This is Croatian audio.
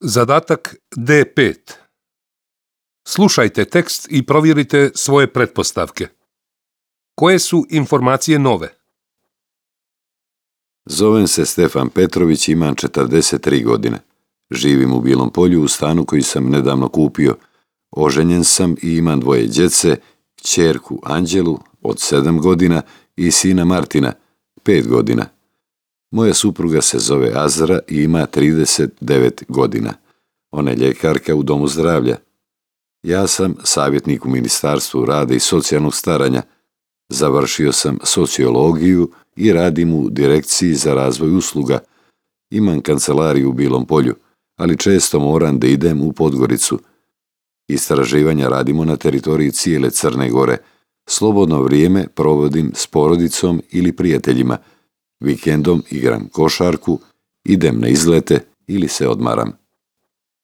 Zadatak D5. Slušajte tekst i provjerite svoje pretpostavke. Koje su informacije nove? Zovem se Stefan Petrović, imam 43 godine. Živim u Bilom Polju u stanu koji sam nedavno kupio. Oženjen sam i imam 2 djece, kćerku Anđelu od 7 godina i sina Martina, 5 godina. Moja supruga se zove Azra i ima 39 godina. Ona je ljekarka u domu zdravlja. Ja sam savjetnik u Ministarstvu rada i socijalnog staranja. Završio sam sociologiju i radim u Direkciji za razvoj usluga. Imam kancelariju u Bilom Polju, ali često moram da idem u Podgoricu. Istraživanja radimo na teritoriji cijele Crne Gore. Slobodno vrijeme provodim s porodicom ili prijateljima. Vikendom igram košarku, idem na izlete ili se odmaram.